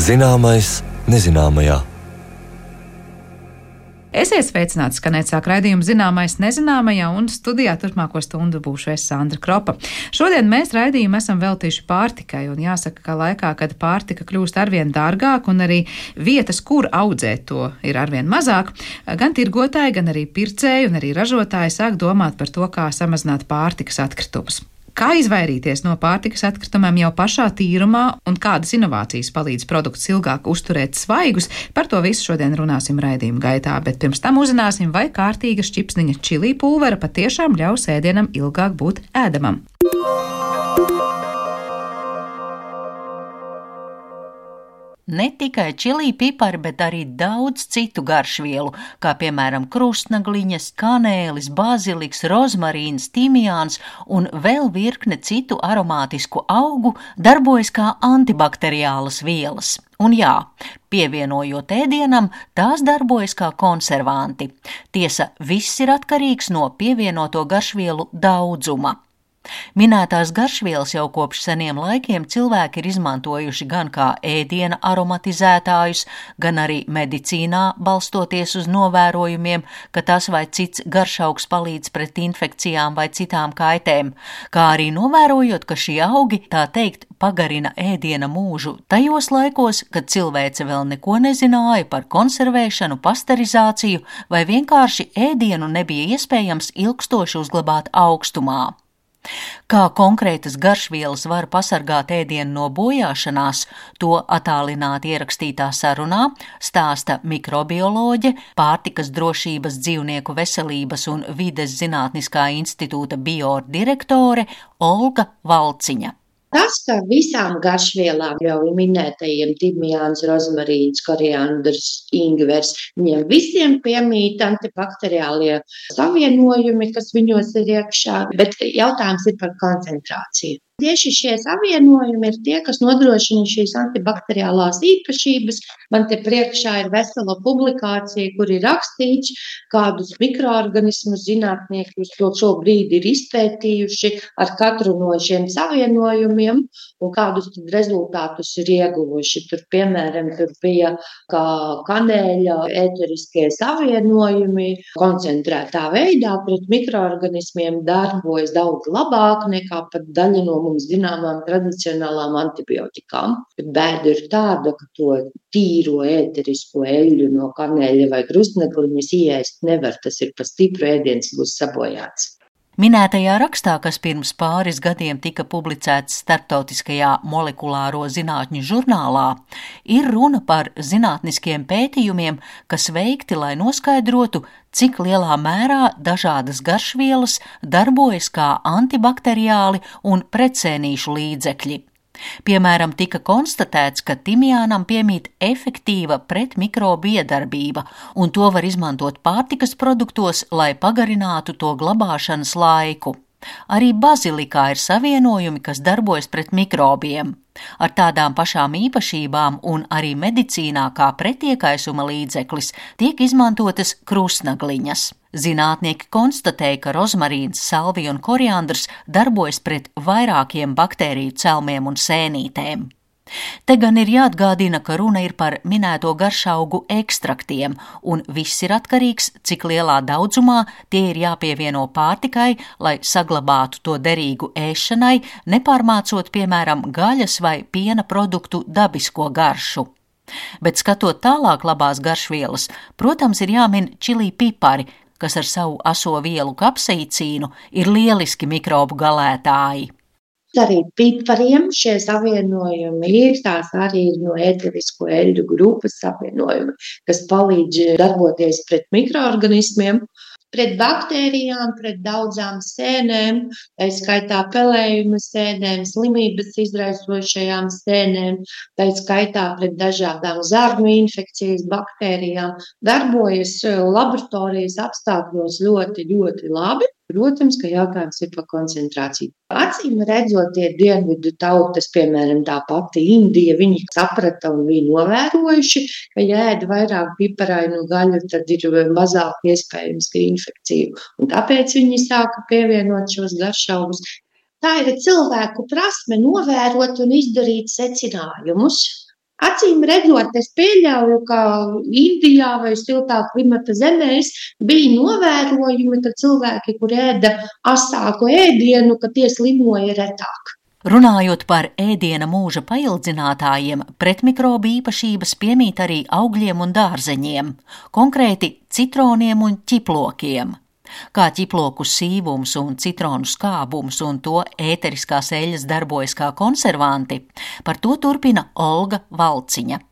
Zināmais nezināmajā. Esiet sveicināti, skanēt sāk raidījumu Zināmais nezināmajā, un studijā turpmāko stundu būšu es, Sandra Kropa. Šodien mēs raidījumu esam veltījuši pārtikai, un jāsaka, ka laikā, kad pārtika kļūst arvien dārgāk un arī vietas, kur audzēt to, ir arvien mazāk, gan tirgotāji, gan arī pircēji un arī ražotāji sāk domāt par to, kā samazināt pārtikas atkritumus. Kā izvairīties no pārtikas atkritumiem jau pašā tīrumā un kādas inovācijas palīdz produktus ilgāk uzturēt svaigus, par to visu šodien runāsim raidījuma gaitā, bet pirms tam uzzināsim, vai kārtīga šķipsniņa čili pulvera patiešām ļaus ēdienam ilgāk būt ēdamam. Ne tikai čili pipari, bet arī daudz citu garšvielu, kā piemēram krustnagliņas, kanēlis, baziliks, rozmarīns, timjāns un vēl virkne citu aromātisku augu darbojas kā antibakteriālas vielas. Un jā, pievienojot ēdienam, tās darbojas kā konservanti. Tiesa, viss ir atkarīgs no pievienoto garšvielu daudzuma. Minētās garšvielas jau kopš seniem laikiem cilvēki ir izmantojuši gan kā ēdiena aromatizētājus, gan arī medicīnā, balstoties uz novērojumiem, ka tas vai cits garšaugs palīdz pret infekcijām vai citām kaitēm, kā arī novērojot, ka šie augi, tā teikt, pagarina ēdiena mūžu tajos laikos, kad cilvēce vēl neko nezināja par konservēšanu, pasterizāciju vai vienkārši ēdienu nebija iespējams ilgstoši uzglabāt augstumā. Kā konkrētas garšvielas var pasargāt ēdienu no bojāšanās, to attālināti ierakstītā sarunā stāsta mikrobioloģe, pārtikas drošības, dzīvnieku veselības un vides zinātniskā institūta biodirektore Olga Valciņa. Tas, ka visām garšvielām, jau minētajiem timjāns, rozmarīns, koriandrs, ingvers, viņiem visiem piemīt antibakteriālie savienojumi, kas viņos ir iekšā, bet jautājums ir par koncentrāciju. Tieši šie savienojumi ir tie, kas nodrošina šīs antibakteriālās īpašības. Man te priekšā ir vesela publikācija, kur ir rakstīts, kādus mikroorganismus zinātnieki uz to šobrīd ir izpētījuši ar katru no šiem savienojumiem un kādus tad rezultātus ir ieguvuši. Tur, piemēram, tur bija kā kanēļa ēteriskie savienojumi koncentrētā veidā pret mikroorganismiem darbojas daudz labāk nekā pat daļa no mums zināmām tradicionālām antibiotikām. Bet bēda ir tāda, ka to tīro ēterisko eļļu no kanēļa vai krustnegliņas ieēst nevar. Tas ir pa stipru ēdiens, būs sabojāts. Minētajā rakstā, kas pirms pāris gadiem tika publicēts Starptautiskajā molekulāro zinātņu žurnālā, ir runa par zinātniskiem pētījumiem, kas veikti, lai noskaidrotu, cik lielā mērā dažādas garšvielas darbojas kā antibakteriāli un pretsēnīšu līdzekļi. Piemēram, tika konstatēts, ka timjānam piemīt efektīva pretmikrobu iedarbība, un to var izmantot pārtikas produktos, lai pagarinātu to glabāšanas laiku. Arī bazilikā ir savienojumi, kas darbojas pret mikrobiem. Ar tādām pašām īpašībām un arī medicīnā kā pretiekaisuma līdzeklis tiek izmantotas krustnagliņas. Zinātnieki konstatēja, ka rozmarīns, salvija un koriandrs darbojas pret vairākiem baktēriju celmiem un sēnītēm. Te gan ir jāatgādina, ka runa ir par minēto garšaugu ekstraktiem, un viss ir atkarīgs, cik lielā daudzumā tie ir jāpievieno pārtikai, lai saglabātu to derīgu ēšanai, nepārmācot, piemēram, gaļas vai piena produktu dabisko garšu. Bet skatot tālāk labās garšvielas, protams, ir jāmin čili pipari, kas ar savu aso vielu kapsaicīnu ir lieliski mikrobu galētāji. Arī pipariem šie savienojumi ir, tās arī ir no ēterisko eļļu grupas savienojumi, kas palīdz darboties pret mikroorganismiem, pret baktērijām, pret daudzām sēnēm, tā skaitā pelējuma sēnēm, slimības izraisošajām sēnēm, tā skaitā pret dažādām zarnu infekcijas baktērijām, darbojas laboratorijas apstākļos ļoti, ļoti labi. Protams, ka jautājums ir par koncentrāciju. Acīm redzot, tie dienvidu tautas, piemēram, tā pati Indija, viņi saprata un bija novērojuši, ka ja ēd vairāk piparainu gaļu, tad ir mazāk iespējams, ka infekciju. Un tāpēc viņi sāka pievienot šos garšaugus. Tā ir cilvēku prasme novērot un izdarīt secinājumus. Acīm redzot, es pieļauju, ka Indijā vai siltā klimata zemēs bija novērojumi, ka cilvēki, kur ēda asāku ēdienu, ka tie slimoja retāk. Runājot par ēdiena mūža paildzinātājiem, pretmikrobu īpašības piemīt arī augļiem un dārzeņiem, konkrēti citroniem un ķiplokiem. Kā ķiploku sīvums un citronu skābums un to ēteriskās eļas darbojas kā konservanti, par to turpina Olga Valciņa.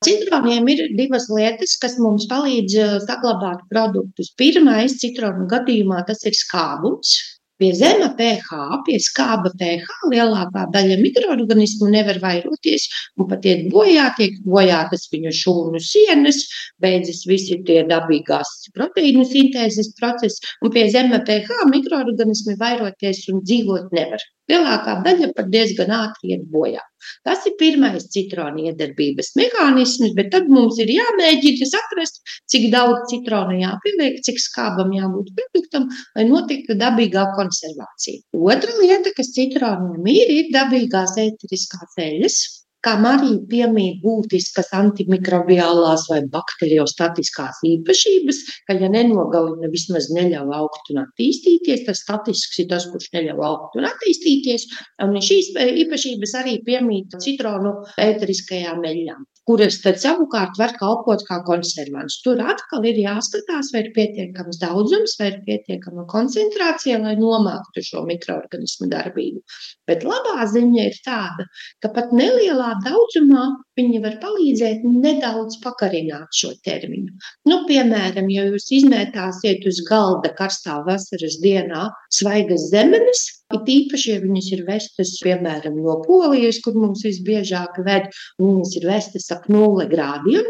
Citroniem ir divas lietas, kas mums palīdz saglabāt produktus. Pirmais, citronu gadījumā tas ir skābums. Pie zema pH, pie skāba pH lielākā daļa mikroorganismu nevar vairoties un pat iet bojā, tiek bojātas viņu šūnu sienas, beidzas visi tie dabīgās proteīnu sintēzes procesi, un pie zema pH mikroorganismi vairoties un dzīvot nevar. Lielākā daļa pat diezgan ātri iet bojā. Tas ir pirmais citronu iedarbības mehānisms, bet tad mums ir jāmēģina saprast, cik daudz citronu jāpieliek, cik skābam jābūt produktam, lai notiktu dabīgā konservācija. Otra lieta, kas citroniem ir dabīgās ēteriskās eļas, kam arī piemīt būtiskas antimikrobiālās vai bakteriostatiskās īpašības, ka ja nenogalina, vismaz neļauj augt un attīstīties, tas statisks ir tas, kurš neļauj augt un attīstīties, un šīs īpašības arī piemīt citronu ēteriskajām eļļām, kuras tad savukārt var kalpot kā konservants. Tur atkal ir jāskatās, vai ir pietiekams daudzums, vai ir pietiekama koncentrācija, lai nomāktu šo mikroorganismu darbību. Bet labā ziņa ir tāda, ka pat nelielā daudzumā viņi var palīdzēt nedaudz pagarināt šo termiņu. Piemēram, ja jūs izmētāsiet uz galda karstā vasaras dienā svaigas zemenes, it īpaši, ja viņas ir vestas, piemēram, no Polijas, kur mums visbiežāk ved, un viņas ir vestas ap 0 grādiem,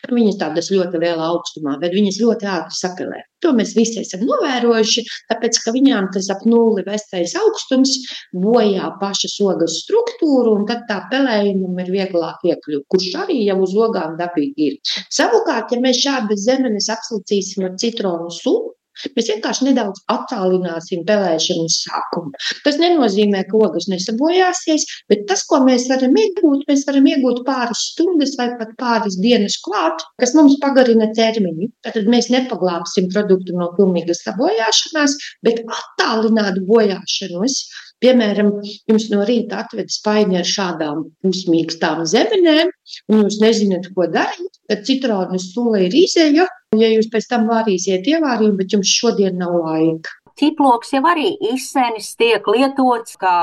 viņas tādas ļoti lielā augstumā, bet viņas ļoti ātri sapelē. To mēs visi esam novērojuši, tāpēc, ka viņām tas ap 0 vestais augstums bojā pašas ogas struktūru, un tad tā pelējumam ir vieglāk iekļūt, kurš arī jau uz ogām dabīgi ir. Savukārt, ja mēs šādas zemenes apslicīsim ar citronu sulu, mēs vienkārši nedaudz attālināsim pelēšanas sākumu. Tas nenozīmē, ka ogas nesabojāsies, bet tas, ko mēs varam iegūt pāris stundas vai pat pāris dienas klāt, kas mums pagarina termiņu. Tad mēs nepaglābsim produktu no pilnīgas sabojāšanās, bet attālināt bojāšanos. Piemēram, jums no rīta atved spaini ar šādām pusmīkstām zemenēm, un jūs nezināt, ko darīt, tad citronu sula ir izeja, ja jūs pēc tam vārīsiet ievārību, bet jums šodien nav laika. Ķiploks jau arī izsenis tiek lietots kā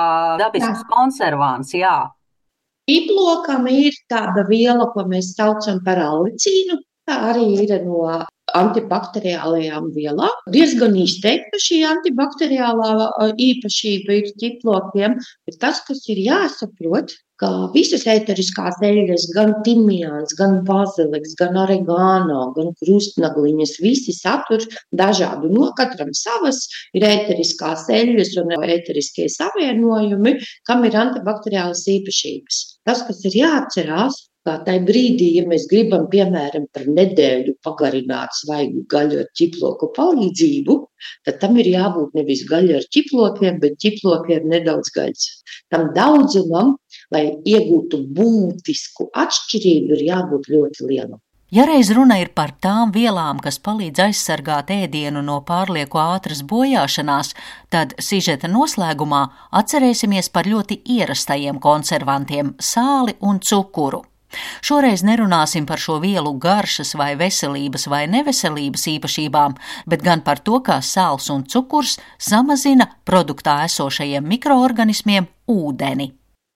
dabisks konservants, jā. Ķiplokam ir tāda viela, ko mēs saucam par allicīnu. Tā arī ir no antibakteriālajām vielām. Diezgan izteikta šī antibakteriālā īpašība ir ķiplokiem, bet tas, kas ir jāsaprot, ka visas ēteriskās eļļas, gan timijāns, gan baziliks, gan oregano, gan krustnagliņas, visi satur dažādu, no katram savas ir ēteriskās eļļas un ēteriskie savienojumi, kam ir antibakteriālas īpašības. Tas, kas ir jāatcerās, kā tajā brīdī, ja mēs gribam, piemēram, par nedēļu pagarināt svaigu gaļu ar ķiploku palīdzību, tad tam ir jābūt nevis gaļa ar ķiplokiem, bet ķiploki ar nedaudz gaļas. Tam daudzumam, lai iegūtu būtisku atšķirību, ir jābūt ļoti lielam. Ja reiz runa ir par tām vielām, kas palīdz aizsargāt ēdienu no pārlieku ātras bojāšanās, tad sižeta noslēgumā atcerēsimies par ļoti ierastajiem konservantiem – sāli un cukuru. Šoreiz nerunāsim par šo vielu garšas vai veselības vai neveselības īpašībām, bet gan par to, kā sāls un cukurs samazina produktā esošajiem mikroorganismiem ūdeni.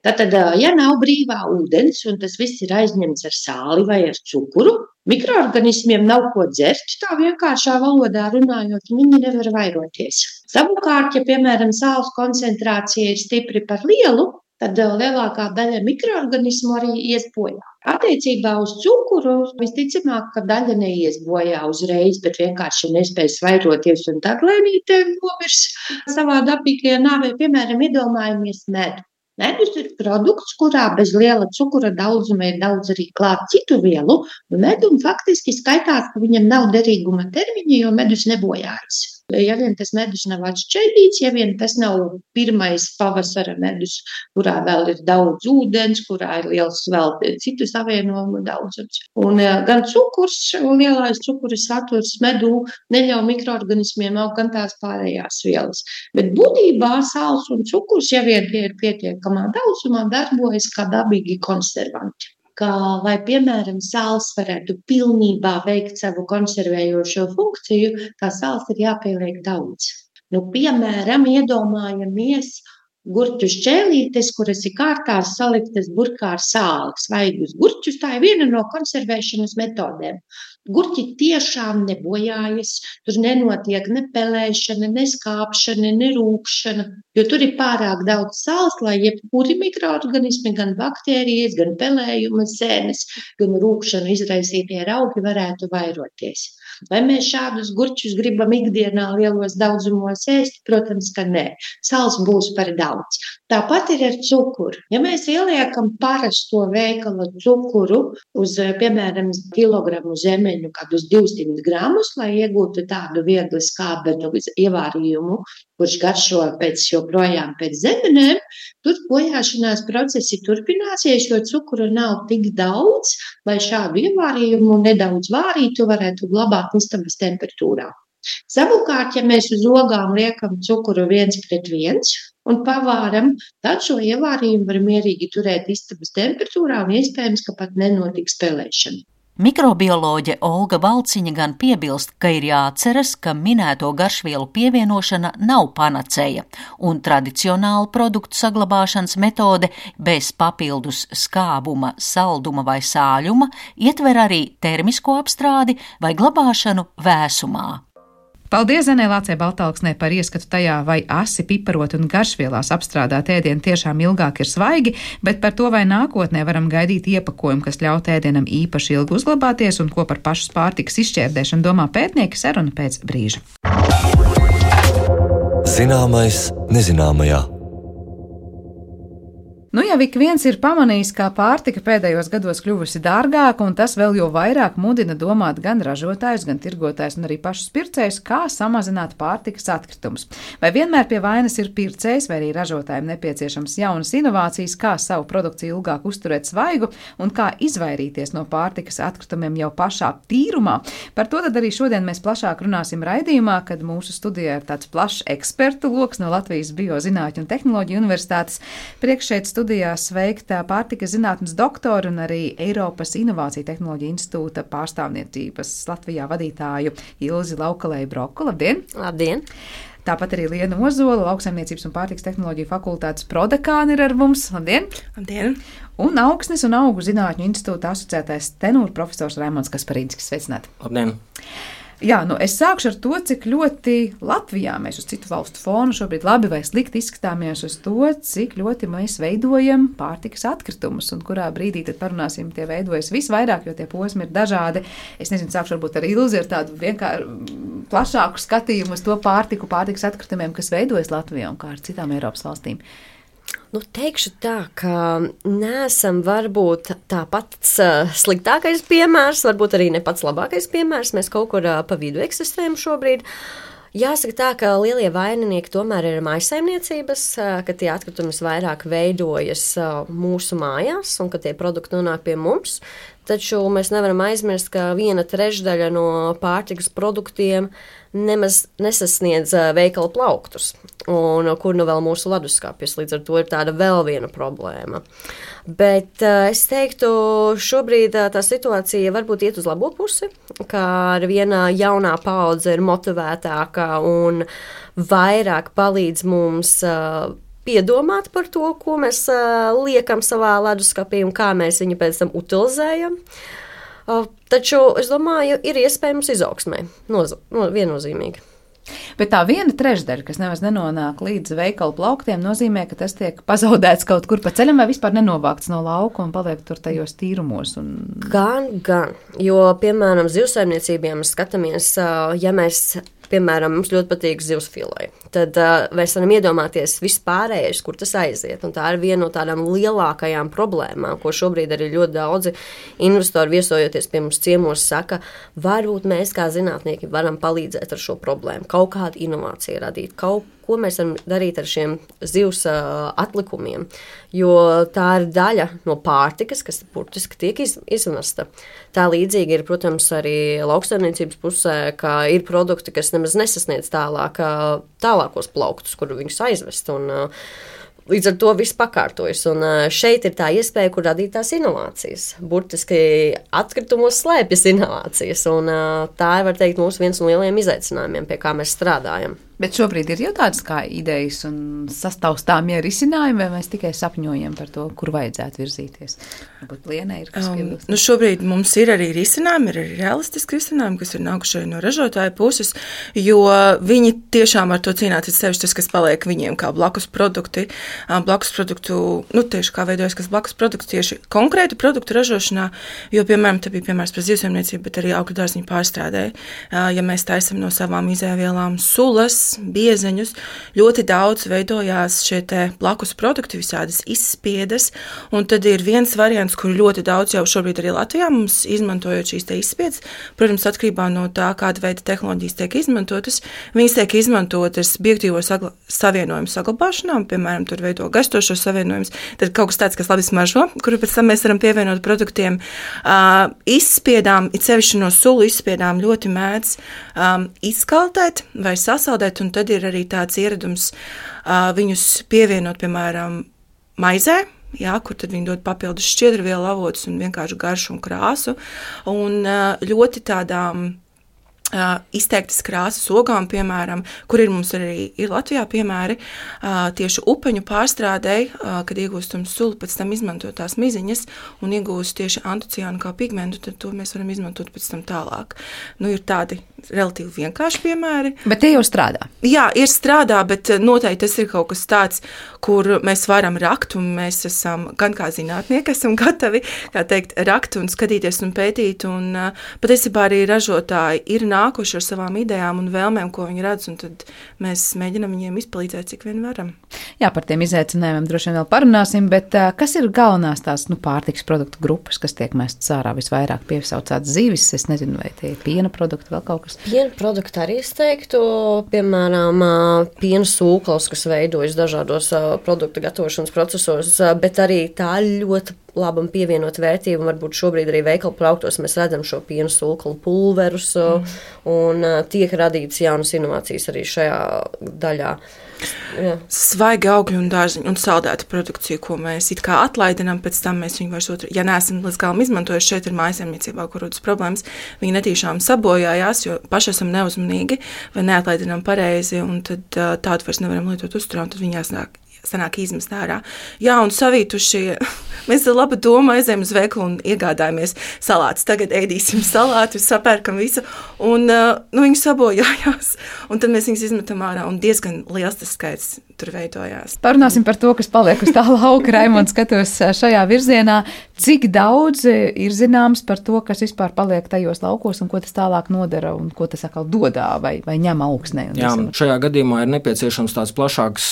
Tātad, ja nav brīvā ūdens un tas viss ir aizņemts ar sāli vai ar cukuru, mikroorganismiem nav ko dzert, tā vienkāršā valodā runājot, viņi nevar vairoties. Savukārt, ja, piemēram, sāls koncentrācija ir stipri par lielu, tad lielākā daļa mikroorganismu arī ies bojā. Attiecībā uz cukuru visticamāk, ka daļa neies bojā uzreiz, bet vienkārši nespēs vairoties un tad lēnītē nomirs savā dabīgajā nāvē. Piemēram, iedomājamies medu. Medus ir produkts, kurā bez liela cukura daudzuma ir daudz arī klāt citu vielu, un medum faktiski skaitās, ka viņam nav derīguma termiņa, jo medus nebojājas. Ja vien tas medus nav atšķaidīts, ja vien tas nav pirmais pavasara medus, kurā vēl ir daudz ūdens, kurā ir liels vēl citu savienojumu daudzums. Un gan cukurs, lielais cukura saturs medū neļauj mikroorganismiem augt, gan tās pārējās vielas. Bet būtībā sāls un cukurs, ja vien tie ir pietiekamā daudzumā, darbojas kā dabīgi konservanti. Kā, lai, piemēram, sāls varētu pilnībā veikt savu konservējošo funkciju, tā sāls ir jāpieliek daudz. Piemēram, iedomājamies gurķu šķēlītes, kuras ir kārtās saliktas burkā ar sāli, svaigus gurķus. Tā ir viena no konservēšanas metodēm. Gurķi tiešām nebojājas, tur nenotiek ne pelēšana, ne skāpšana, ne rūkšana, jo tur ir pārāk daudz sāls, lai jebkuri mikroorganismi, gan baktērijas, gan pelējuma sēnes, gan rūkšanu izraisītie raugi varētu vairoties. Vai mēs šādus gurķus gribam ikdienā lielos daudzumos ēst? Protams, ka nē. Sāls būs par daudz. Tāpat ir ar cukuru. Ja mēs ieliekam parasto veikala cukuru uz, piemēram, kilogramu zemeņu, kādus 200 gramus, lai iegūtu tādu viegli skābenu ievārījumu, kurš garšo joprojām pēc zemenēm, tur bojāšanās procesi turpināsies, jo cukura nav tik daudz, lai šādu ievārījumu nedaudz vārītu varētu glabāt istabas temperatūrā. Savukārt, ja mēs uz ogām liekam cukuru 1:1 un pavāram, tad šo ievārījumu var mierīgi turēt istabas temperatūrā un iespējams, ka pat nenotiks pelēšana. Mikrobioloģe Olga Valciņa gan piebilst, ka ir jāatceras, ka minēto garšvielu pievienošana nav panacēja, un tradicionāla produktu saglabāšanas metode bez papildus skābuma, salduma vai sāļuma ietver arī termisko apstrādi vai glabāšanu vēsumā. Paldies Zenē Lācei Baltalksnē par ieskatu tajā, vai asi, piparot un garšvielās apstrādāt ēdienu tiešām ilgāk ir svaigi, bet par to, vai nākotnē varam gaidīt iepakojumu, kas ļaut ēdienam īpaši ilgi uzglabāties un ko par pašas pārtikas izšķērdēšanu domā pētnieki, saruna pēc brīža. Zināmais nezināmajā. Jau ik viens ir pamanījis, kā pārtika pēdējos gados kļuvusi dārgāka, un tas vēl jau vairāk mudina domāt gan ražotājus, gan tirgotājus un arī pašus pircējus, kā samazināt pārtikas atkritumus. Vai vienmēr pie vainas ir pircējs, vai arī ražotājiem nepieciešams jaunas inovācijas, kā savu produkciju ilgāk uzturēt svaigu un kā izvairīties no pārtikas atkritumiem jau pašā tīrumā. Par to tad arī šodien mēs plašāk runāsim raidījumā, kad mūsu studijā ir tāds plašs ekspertu loks no Latvijas Biozinātņu un tehnoloģiju universitātes. Priekšsēdz studijā sveikta pārtikas zinātnes doktora un arī Eiropas Inovāciju tehnoloģiju institūta pārstāvniecības Latvijā vadītāju Ilzi Laukalēju Broku. Labdien! Labdien! Tāpat arī Liena Ozola, Lauksaimniecības un pārtikas tehnoloģiju fakultātes prodekāna ir ar mums. Labdien! Labdien! Un Augsnes un augu zinātņu institūta asociētais tenūra profesors Raimonds Kasparīnskis. Sveicināti! Labdien! Jā, es sākšu ar to, cik ļoti Latvijā mēs uz citu valstu fonu šobrīd labi vai slikti izskatāmies uz to, cik ļoti mēs veidojam pārtikas atkritumus un kurā brīdī tad parunāsim, tie veidojas visvairāk, jo tie posmi ir dažādi. Es nezinu, sākšu varbūt ar Ilzi ar tādu vienkārši plašāku skatījumu uz to pārtikas atkritumiem, kas veidojas Latvijā un kā ar citām Eiropas valstīm. Teikšu tā, ka neesam varbūt tā pats sliktākais piemērs, varbūt arī ne pats labākais piemērs. Mēs kaut kur pa vidu eksistējam šobrīd. Jāsaka tā, ka lielie vaininieki tomēr ir mājsaimniecības, ka tie atkritumi vairāk veidojas mūsu mājās un ka tie produkti nonāk pie mums. Taču mēs nevaram aizmirst, ka 1/3 no pārtikas produktiem nemaz nesasniedz veikala plauktus, un kur nu vēl mūsu leduskapis, līdz ar to ir tāda vēl viena problēma. Bet es teiktu, šobrīd tā situācija varbūt iet uz labo pusi, kā ar viena jaunā paudze ir motivētāka un vairāk palīdz mums piedomāt par to, ko mēs liekam savā leduskapī un kā mēs viņu pēc tam utilizējam. Taču, es domāju, ir iespējams izaugsmē, viennozīmīgi. Bet tā 1/3, kas nemaz nenonāk līdz veikala plauktiem, nozīmē, ka tas tiek pazaudēts kaut kur pa ceļam vai vispār nenovākts no lauka un paliek tur tajos tīrumos. Gan. Jo, piemēram, zivsaimniecībiem skatāmies, ja mēs piemēram, mums ļoti patīk zivsfilē. Tad mēs varam iedomāties vispārējais, kur tas aiziet. Un tā ir viena no tādām lielākajām problēmām, ko šobrīd arī ļoti daudzi investori viesojoties pie mums ciemos saka, varbūt mēs kā zinātnieki varam palīdzēt ar šo problēmu, kaut kādu inovāciju radīt, kaut ko mēs varam darīt ar šiem zivs atlikumiem, jo tā ir daļa no pārtikas, kas burtiski tiek izmesta. Tā līdzīgi ir, protams, arī lauksaimniecības pusē, ka ir produkti, kas nemaz nesasniedz tālākos plauktus, kur viņus aizvest, un līdz ar to viss pakārtojas. Un šeit ir tā iespēja, kur radīt tās inovācijas. Burtiski atkritumos slēpjas inovācijas, un tā ir, var teikt, mūsu viens no lielajiem izaicinājumiem, pie kā mēs strādājam. Bet šobrīd ir jau tādas kā idejas un sastāvstāmie risinājumi, vai mēs tikai sapņojam par to, kur vajadzētu virzīties? Varbūt Lienai ir kas piebilst? Šobrīd mums ir arī risinājumi, ir arī realistiski risinājumi, kas ir nākuši no ražotāja puses, jo viņi tiešām ar to cīnās, sevišķi tas, kas paliek viņiem kā blakus produkti. Blakus produktu, tieši kā veidojas, kas blakus produkts tieši konkrētu produktu ražošanā, jo, piemēram, te bija piemērs par zivsaimniecību, bet arī augļu dārziņu pārstrādē. Ja mēs taisam no savām izēvielām sulas, biezeņus, ļoti daudz veidojās šie te blakus produkti, visādas izspiedes, un tad ir viens variants, kur ļoti daudz jau šobrīd arī Latvijā mums izmantojot šīs te izspiedes, protams, atkarībā no tā, kāda veida tehnoloģijas tiek izmantotas, viņas tiek izmantotas bioaktīvo savienojumu saglabāšanām, piemēram, tur veido gaistošos savienojumus, tad kaut kas tāds, kas labi smaržo, kuru pēc tam mēs varam pievienot produktiem. Izspiedām, it sevišķi no sulu izspiedām ļoti mēdz izkaltēt vai sasaldēt, un tad ir arī tāds ieradums viņus pievienot, piemēram, maizē, kur tad viņi dod papildus šķiedrvielu avotus un vienkārši garšu un krāsu, un ļoti tādām izteiktas krāsas ogām, piemēram, kur ir mums arī ir Latvijā piemēri, tieši upeņu pārstrādēji, kad iegūstam sulu, pēc tam izmantot tās miziņas un iegūst tieši antociānu kā pigmentu, tad to mēs varam izmantot pēc tam tālāk. Ir tādi relatīvi vienkārši piemēri. Bet tie jau strādā? Jā, ir strādā, bet noteikti tas ir kaut kas tāds, kur mēs varam rakt, un mēs esam, gan kā zinātnieki, esam gatavi, kā teikt, rakt un skatīties un pētīt, un patiesībā arī ražotāji ir nākuši ar savām idejām un vēlmēm, ko viņi redz, un tad mēs mēģinam viņiem izpalīdzēt, cik vien varam. Jā, par tiem izaicinājumiem droši vien vēl parunāsim, bet kas ir galvenās tās pārtikas produktu grupas, kas tiek mestas ārā visvairāk piesaucāts zivis? Es nezinu, vai tie ir piena produkti, vēl kaut kas? Piena produkti arī es teiktu, piemēram, piena sūklis, kas veidojas dažādos produktu gatavošanas procesos, bet arī tā ļoti labam pievienot vērtību, un varbūt šobrīd arī veikalu plauktos mēs redzam šo piena sūklu pulverus, un tiek radītas jaunas inovācijas arī šajā daļā. Jā. Svaigi augļu un dārziņu un saldētu produkciju, ko mēs it kā atlaidinām, pēc tam mēs viņu vairs ja neesam līdz galam izmantojuši, šeit ir mājsaimniecībā, kur rodas problēmas, viņi netīšām sabojājās, jo paši esam neuzmanīgi vai neatlaidinām pareizi, un tad tādu vairs nevaram lietot uzturā, un tad viņi sanāk izmest ārā. Jā, un savītuši, mēs ar labu domu aizējam uz veikalu un iegādājamies salātus. Tagad ēdīsim salātu, sapērkam visu, un viņi sabojājās. Un tad mēs viņus izmetam ārā, un diezgan liels tas skaits tur veidojās. Parunāsim par to, kas paliek uz tā lauka. Raimonds, skatos šajā virzienā. Cik daudz ir zināms par to, kas vispār paliek tajos laukos, un ko tas tālāk nodara, un ko tas atkal dodā vai ņem augsnē? Jā, šajā gadījumā ir nepieciešams tāds plašāks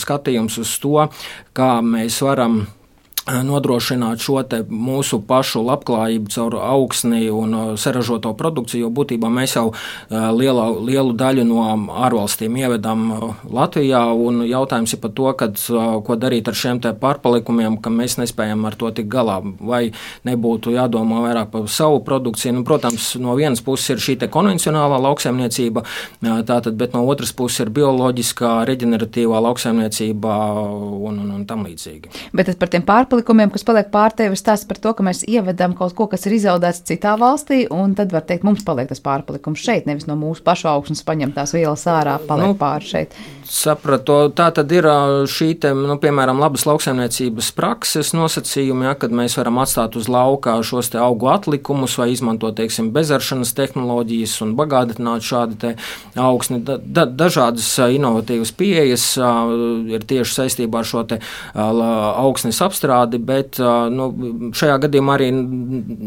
skatījums uz to, kā mēs varam nodrošināt šo te mūsu pašu labklājību caur augsni un saražoto produkciju, jo būtībā mēs jau lielu daļu no ārvalstīm ievedam Latvijā, un jautājums ir par to, ko darīt ar šiem te pārpalikumiem, ka mēs nespējam ar to tik galā, vai nebūtu jādomā vairāk par savu produkciju. Protams, no vienas puses ir šī te konvencionālā lauksaimniecība, tātad, bet no otras puses ir bioloģiskā, reģeneratīvā lauksaimniecība un tam līdzīgi. Bet par tiem pārpalikumiem, kas paliek pārtevis, stāsta par to, ka mēs ievedam kaut ko, kas ir izaudēts citā valstī, un tad var teikt, mums paliek tas pārpalikums šeit, nevis no mūsu pašu augsnes paņem tās vielas ārā, paliek pāri šeit. Sapratu, tā tad ir šī te, piemēram, labas lauksaimniecības prakses nosacījumi, kad mēs varam atstāt uz lauka šos te augu atlikumus vai izmantot, teiksim, bezaršanas tehnoloģijas un bagātināt šādi te augsni. Dažādas inovatīvas pieejas ir tieši saistībā ar šo te augsnes apstrādi, dažādi, bet šajā gadījumā arī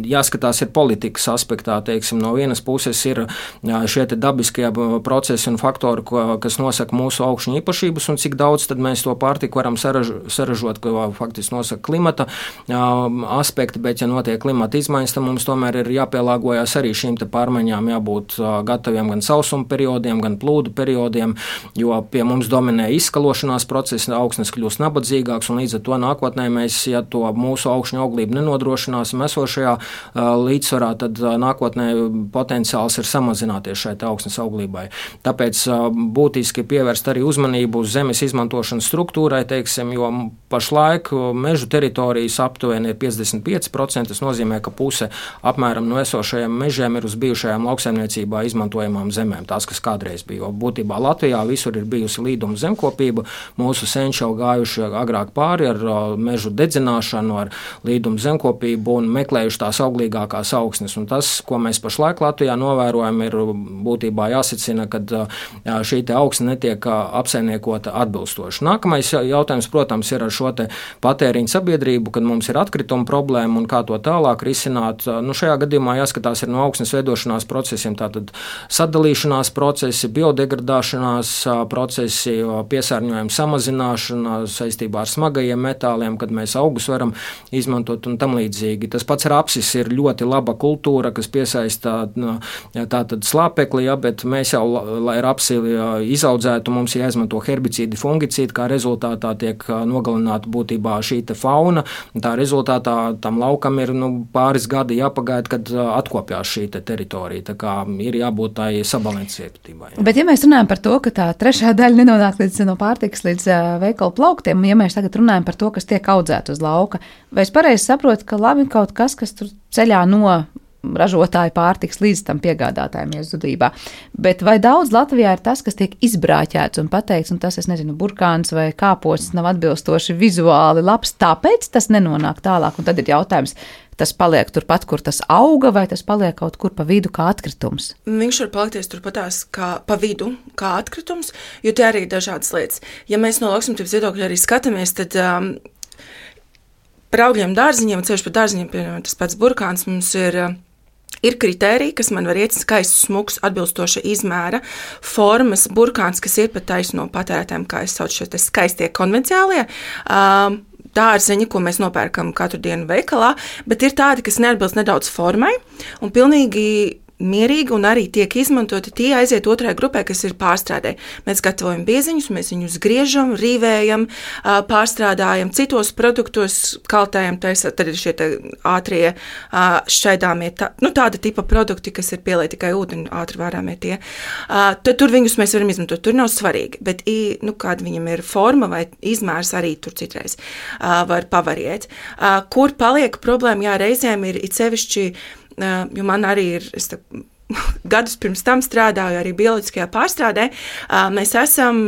jāskatās ir politikas aspektā. Teiksim, no vienas puses ir šie dabiskie procesi un faktori, kas nosaka mūsu augšņu īpašības un cik daudz tad mēs to pārtiku varam saražot, ko faktiski nosaka klimata aspekti, bet ja notiek klimata izmaiņas, tad mums tomēr ir jāpielāgojas arī šīm te pārmaiņām, jābūt gataviem gan sausuma periodiem, gan plūdu periodiem, jo pie mums dominē izskalošanās procesi, augsnes kļūst nabadzīgāks, un līdz ar to nākotnē mēs, ja to mūsu augšņu auglību nenodrošināsim esošajā līdzsvarā, tad nākotnē potenciāls ir samazināties šai augsnes auglībai. Tāpēc būtiski pievērst arī uzmanību uz zemes izmantošanas struktūrai, teiksim, jo pašlaik mežu teritorijas aptuveni ir 55%, tas nozīmē, ka puse apmēram no esošajiem mežiem ir uz bijušajām lauksaimniecībā izmantojamām zemēm, tās, kas kādreiz bija. Jo būtībā Latvijā visur ir bijusi līduma zemkopība, mūsu senči jau gājuši agrāk pāri ar mežu dedzināšanu, ar līduma zemkopību un meklējuši tās auglīgākās augsnes. Un tas, ko mēs pašlaik Latvijā novērojam, ir būtībā jāsacina, kad šī te augsne netiek apsaimniekota atbilstoši. Nākamais jautājums, protams, ir ar šo te patēriņu sabiedrību, kad mums ir atkrituma problēma un kā to tālāk risināt. Šajā gadījumā jāskatās ir no augsnes veidošanās procesiem, tātad sadalīšanās procesi, biodegradāšanās procesi, piesārņojuma samazināšana saistībā ar smagajiem metāliem, kad mēs augus varam izmantot un tam līdzīgi. Tas pats rapsis ir ļoti laba kultūra, kas piesaista tātad slāpekli, bet mēs jau, lai rapsi izaudzētu, mums jāizmanto herbicīdi, fungicīdi, kā rezultātā tiek nogalināta būtībā šī te fauna. Tā rezultātā tam laukam ir pāris gadi jāpagaida, kad atkopjās šī te teritorija. Tā kā ir jābūt tai sabalansētībai. Bet ja mēs runājam par to, ka tā trešā daļa nenonāk no pārtikas līdz veikalu plauktiem, ja mēs tagad runājam par to, kas tiek audzēt uz lauka, vai es pareizi saprotu, ka labi kaut kas tur ceļā no ražotāju pārtiks līdz tam piegādātājiem iezudībā. Bet vai daudz Latvijā ir tas, kas tiek izbrāķēts un pateikts, un tas, es nezinu, burkāns vai kāposts nav atbilstoši vizuāli labs, tāpēc tas nenonāk tālāk, un tad ir jautājums, tas paliek turpat, kur tas auga, vai tas paliek kaut kur pa vidu kā atkritums? Viņš var palikties turpatās kā pa vidu, kā atkritums, jo tie arī ir dažādas lietas. Ja mēs no lauksaimniecības viedokļa arī skatāmies, tad par augļiem dārziņiem, ceļš par dārziņiem, piemēram, tas pats burkāns, mums ir kritēriji, kas man var iet skaists, smuks, atbilstoša izmēra, formas, burkāns, kas ir pat taisno patērētājiem, kā es saucu šie skaistie konvenciālie dārzeņi, ko mēs nopērkam katru dienu veikalā, bet ir tādi, kas neatbilst nedaudz formai un pilnīgi mierīgi un arī tiek izmantoti, tie aiziet otrajā grupē, kas ir pārstrādē. Mēs gatavojam bieziņus, mēs viņus griežam, rīvējam, pārstrādājam, citos produktos kaltējam, tad ir šie ātrie šķaidāmie, tāda tipa produkti, kas ir pielai tikai ūdeni, ātri vārāmie tie. Tad tur viņus mēs varam izmantot, tur nav svarīgi, bet kāda viņam ir forma vai izmērs arī tur citreiz var pavariet. Kur paliek problēma, jā, reizēm ir sevišķi, jo man arī ir, gadus pirms tam strādāju arī bioloģiskajā pārstrādē, mēs esam,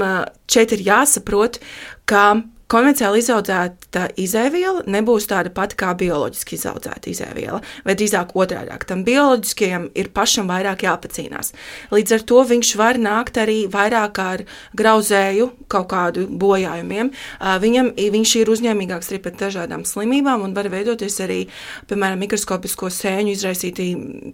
šeit ir jāsaprot, ka konvencionāli izaudzēta izēviela nebūs tāda pati kā bioloģiski izaudzēta izēviela, vai drīzāk otrādāk. Tam bioloģiskajam ir pašam vairāk jāpacīnās. Līdz ar to viņš var nākt arī vairāk ar grauzēju kaut kādu bojājumiem. Viņš ir uzņēmīgāks arī pret dažādām slimībām un var veidoties arī, piemēram, mikroskopisko sēņu izraisītī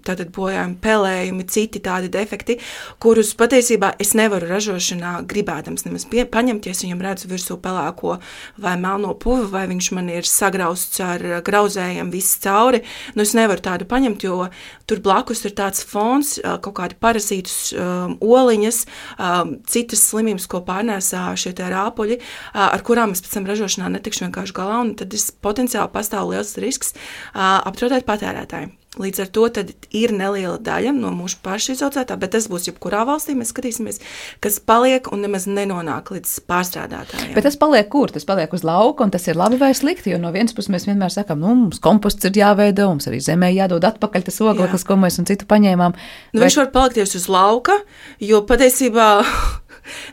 tātad bojājumi, pelējumi, citi tādi defekti, kurus patiesībā es nevaru ražošanā gribēdams nemaz paņemties, viņam redzu virsū pelēko vai melno puvi, vai viņš man ir sagrausts ar grauzējiem viss cauri. Es nevaru tādu paņemt, jo tur blakus ir tāds fons, kaut kādi parazītus, oliņas, citas slimības, ko pārnēsā šie tie rāpuļi, ar kurām es pēc tam ražošanā netikšu vienkārši galā, un tad potenciāli pastāv liels risks apdraudēt patērētāju. Līdz ar to tad ir neliela daļa no mūsu pašu izaudzētā, bet tas būs jebkurā valstī, mēs skatīsimies, kas paliek un nemaz nenonāk līdz pārstrādātājiem. Bet tas paliek kur? Tas paliek uz lauka, un tas ir labi vai slikti, jo no vienas puses mēs vienmēr sakām, mums komposts ir jāveido, mums arī zemē jādod atpakaļ tas ogleklis, ko mēs un citu paņēmām. Viņš var palikties uz lauka, jo patiesībā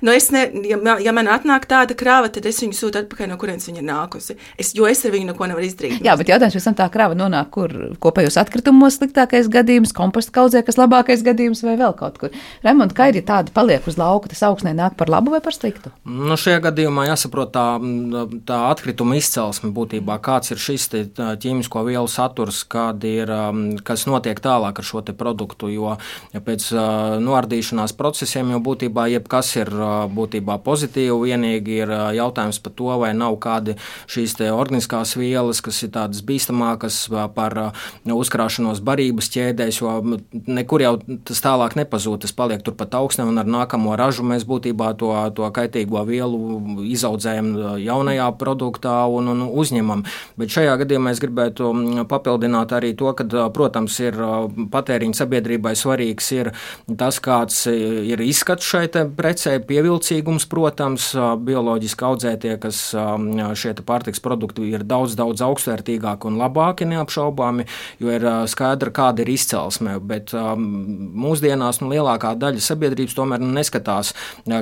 Ja man atnāk tāda krāva, tad es viņu sūtu atpakaļ, no kurienes viņa ir nākusi. Jo es ar viņu neko nevaru izdarīt. Jā, bet jautājums, pēc tam tā krāva nonāk kur kopējos atkritumos sliktākais gadījums, komposta kaudzē, kas labākais gadījums vai vēl kaut kur. Raimond, kā ir, ja tāda paliek uz lauka, tas augsnē nāk par labu vai par sliktu? Nu, šajā gadījumā jāsaprot tā atkrituma izcelsme būtībā, kāds ir šis ķīmisko vielu saturs, kas notiek tālāk ar šo te produktu, jo pēc noardīšanās procesiem jau būtībā jebkas ir būtībā pozitīvi, vienīgi ir jautājums par to, vai nav kādi šīs te organiskās vielas, kas ir tādas bīstamākas par uzkrāšanos barības ķēdēs, jo nekur jau tas tālāk nepazūd, tas paliek turpat augsnē, un ar nākamo ražu mēs būtībā to kaitīgo vielu izaudzējam jaunajā produktā un uzņemam. Bet šajā gadījumā es gribētu papildināt arī to, ka, protams, ir patēriņa sabiedrībai svarīgs ir tas, kāds ir izskats šai te precē, pievilcīgums, protams, bioloģiski audzētie, kas šie te pārtiks produkti ir daudz augstvērtīgāki un labāki neapšaubāmi, jo ir skaidra, kāda ir izcelsme, bet mūsdienās lielākā daļa sabiedrības tomēr neskatās,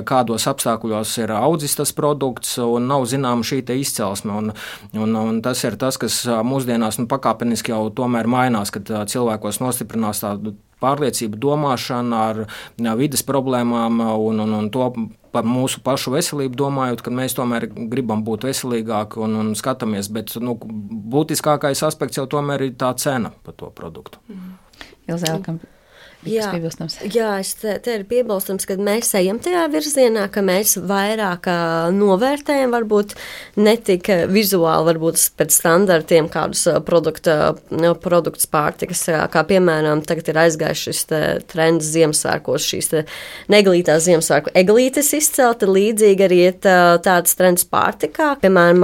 kādos apstākļos ir audzis tas produkts un nav zināma šī te izcelsme, un tas ir tas, kas mūsdienās pakāpeniski jau tomēr mainās, kad cilvēkos nostiprinās tādu pārliecību, domāšana ar vides problēmām un to par mūsu pašu veselību domājot, ka mēs tomēr gribam būt veselīgāki un skatāmies, bet būtiskākais aspekts jau tomēr ir tā cena par to produktu. Ilzēlkam. Jā, te ir piebilstams, ka mēs ejam tajā virzienā, ka mēs vairāk novērtējam, varbūt ne tik vizuāli, varbūt pēc standartiem kādus produktus pārtikas, kā piemēram tagad ir aizgājis šis trends Ziemassvētkos, šīs neglītās Ziemassvētku eglītes izcelta, līdzīgi arī ir tāds trends pārtikā. Piemēram,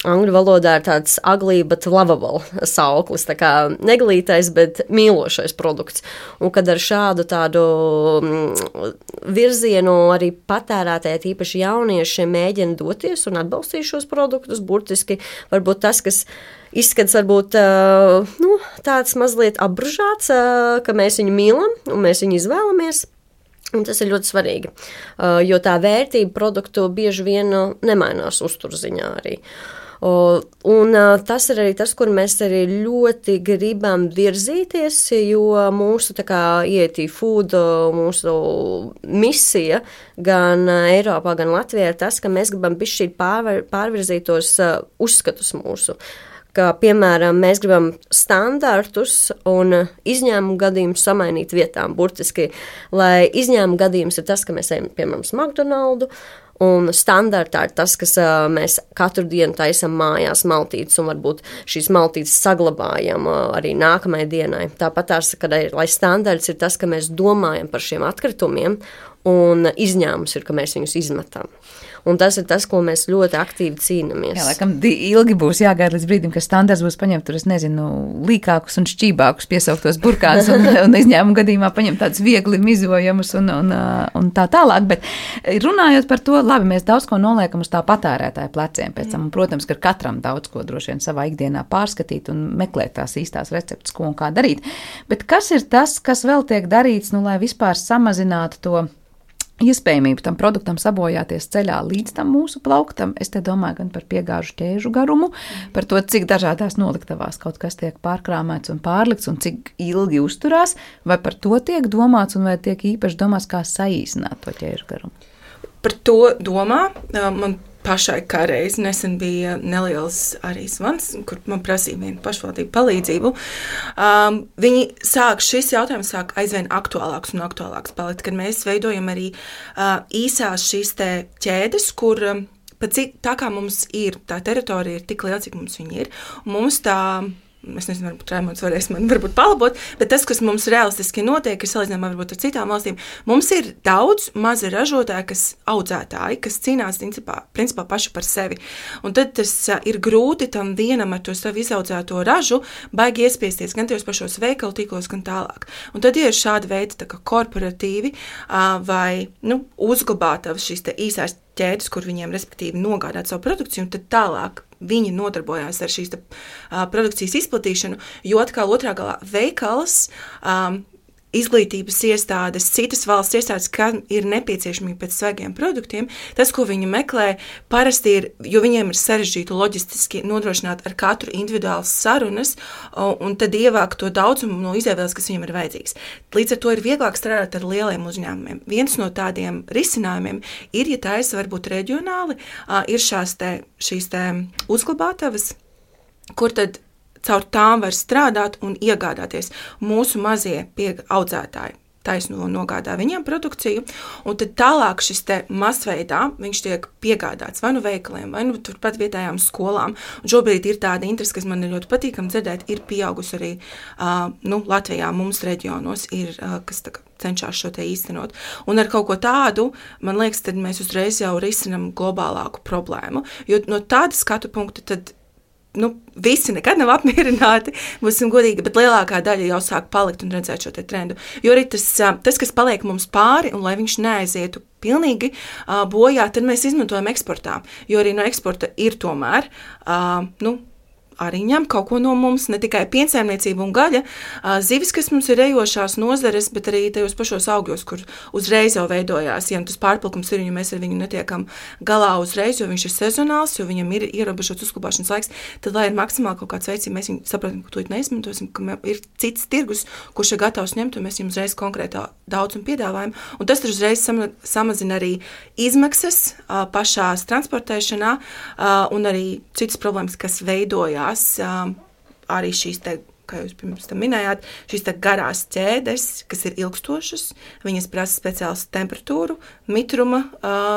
angļu valodā ir tāds ugly but lovable sauklis, tā kā neglītais, bet mīlošais produkts. Un kad ar šādu tādu virzienu arī patērētāji, tīpaši jaunieši, mēģina doties un atbalstīt šos produktus, burtiski varbūt tas, kas izskats varbūt tāds mazliet apbružāts, ka mēs viņu mīlam un mēs viņu izvēlamies. Un tas ir ļoti svarīgi, jo tā vērtība produktu bieži vien nemainās uzturziņā arī. Un tas ir arī tas, kur mēs arī ļoti gribam virzīties, jo mūsu ET Food, mūsu misija gan Eiropā, gan Latvijā ir tas, ka mēs gribam bišķīt pārvirzītos uzskatus mūsu. Ka, piemēram, mēs gribam standartus un izņēmumu gadījumus samainīt vietām, burtiski, lai izņēmumu gadījums ir tas, ka mēs ejam, piemēram, uz McDonaldu, un standartā ir tas, kas mēs katru dienu taisam mājās maltītes, un varbūt šīs maltītes saglabājam arī nākamajai dienai. Tāpat tās, lai standarts ir tas, ka mēs domājam par šiem atkritumiem, un izņēmums ir, ka mēs viņus izmetam. Un tas ir tas, ko mēs ļoti aktīvi cīnāmies. Jā, laikam ilgi būs jāgaida līdz brīdim, ka standarts būs paņemt tur, es nezinu, līkākus un šķībākus piesauktos burkānus un izņēmumu gadījumā paņemt tādus viegli mizojamus un tā tālāk. Bet runājot par to, labi, mēs daudz ko noliekam uz tā patērētāja pleciem pēc tam. Un, protams, ka katram daudz ko droši vien savā ikdienā pārskatīt un meklēt tās īstās receptes, ko un kā darīt. Bet kas ir tas, kas vēl tiek darīts, lai vispār samazinātu to iespējamību tam produktam sabojāties ceļā līdz tam mūsu plauktam? Es te domāju gan par piegāžu ķēžu garumu, par to, cik dažādās noliktavās kaut kas tiek pārkrāmēts un pārlikts un cik ilgi uzturās, vai par to tiek domāts un vai tiek īpaši domāts, kā saīsināt to ķēžu garumu? Par to domā. Man pašai kā reiz nesen bija neliels arī zvans, kur man prasīja vienu pašvaldību palīdzību. Šis jautājums sāk aizvien aktuālāks un aktuālāks palikt, kad mēs veidojam arī īsās šīs te ķēdes, kur tā kā mums ir, tā teritorija ir tik liela, cik mums viņa ir, un mums tā, es nezinu, varbūt Raimonds varēs man varbūt palabot, bet tas, kas mums realistiski notiek, ir salīdzinājumā varbūt ar citām valstīm. Mums ir daudz mazi ražotāji, audzētāji, kas cīnās principā paši par sevi. Un tad tas ir grūti tam vienam ar to savu izaudzēto ražu baigi iespiesties gan tajos pašos veikalu tīklos, gan tālāk. Un tad ir šāda veida tā kā korporatīvi vai uzglabātavas šīs te īsās ķēdes, kur viņiem respektīvi nogādāt savu produkciju, un tad tālāk viņi nodarbojās ar šīs produkcijas izplatīšanu, jo atkal otrā galā veikals izglītības iestādes, citas valsts iestādes, kam ir nepieciešamība pēc svaigiem produktiem, tas, ko viņi meklē, parasti ir, jo viņiem ir sarežģīti loģistiski nodrošināt ar katru individuālas sarunas un tad ievākt to daudzumu no izēvēles, kas viņiem ir vajadzīgs. Līdz ar to ir vieglāk strādāt ar lieliem uzņēmumiem. Viens no tādiem risinājumiem ir, ja taisa varbūt reģionāli, ir šīs uzglabātavas, kur tad caur tām var strādāt un iegādāties. Mūsu mazie audzētāji taisno nogādā viņiem produkciju, un tad tālāk šis masveidā viņš tiek piegādāts vai nu veikaliem, vai nu turpat vietējām skolām. Un šobrīd ir tāda interese, kas man ir ļoti patīkami dzirdēt, ir pieaugusi arī Latvijā mums reģionos, kas cenšas šo te īstenot. Un ar kaut ko tādu, man liekas, tad mēs uzreiz jau risinam globālāku problēmu, jo no tāda skatu punkta tad visi nekad nav apmierināti, būsim godīgi, bet lielākā daļa jau sāk palikt un redzēt šo te trendu. Jo arī tas, kas paliek mums pāri, un lai viņš neaizietu pilnīgi bojā, tad mēs izmantojam eksportā. Jo arī no eksporta ir tomēr, arī ņem kaut ko no mums, ne tikai piensaimniecība un gaļa, zivis, kas mums ir ejošās nozares, bet arī tajos pašos augļos, kur uzreiz jau veidojās, ja tas pārpilkums ir, ja mēs ar viņu netiekam galā uzreiz, jo viņš ir sezonāls, jo viņam ir ierobežots uzglabāšanas laiks, tad, lai ir maksimāli kaut kāds veids, ja mēs viņu saprotam, ka to neizmantosim, ka ir cits tirgus, kurš ir gatavs ņemt, un mēs viņam uzreiz konkrētā daudzumu piedāvājam, un tas uzreiz samazina arī izmaksas pašās transportēšanā, un arī citas problēmas, kas veidojās. Arī šīs kā jūs pirms tam minējāt, šīs garās ķēdes, kas ir ilgstošas, viņas prasa speciāls temperatūru, mitruma